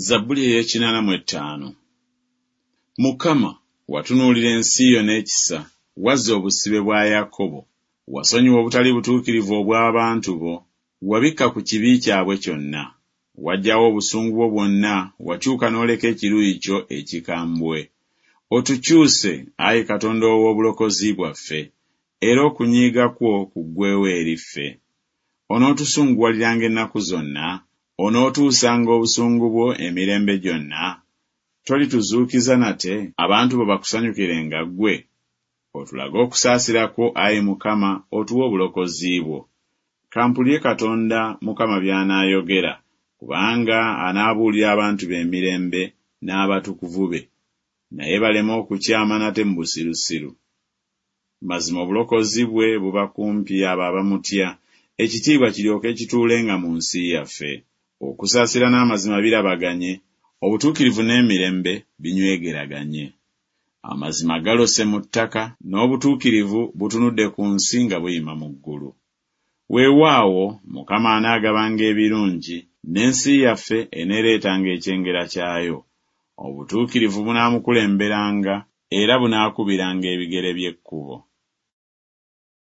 Zabbuli ey'ekinana mu ettaano. Mukama, watunuulira ensi yo n'ekisa, wazza obusibe bwa Yakobo. Wasonyiwa obutali butuukirivu obw'abantu bo, wabikka ku kibi kyabwe kyonna. Waggyawo obusungu bwo bwonna, wakyuka n'oleka ekiruyi kyo ekikambwe. Otukyuse, ayi Katonda ow'obulokozi bwaffe, era okunyiiga kwo kuggweewo eri ffe. Onootusunguwaliranga ennaku zonna? Onootuusanga obusungu bwo emirembe gyonna? Tolituzuukiza nate, abantu bo bakusanyukirenga ggwe? Otulage okusaasira kwo, ayi Mukama, otuwe obulokozi bwo. Ka mpulire Katonda Mukama by'anaayogera, kubanga anaabuulira abantu be emirembe n'abatukuvu be, naye baleme okukyama nate mu busirusiru. Mazima obulokozi bwe buba kumpi abo abamutya, ekitiibwa kiryoke kituulenga mu nsi yaffe. Okusaasira n'amazima birabaganye, obutuukirivu n'emirembe binywegeraganye. Amazima galose mu ttaka, n'obutuukirivu butunudde ku nsi nga buyima mu ggulu. Weewaawo, Mukama anaagabanga ebirungi, n'ensi yaffe eneereetanga ekyengera kyayo. Obutuukirivu bunaamukulemberanga, era bunaakubiranga ebigere bye ekkubo.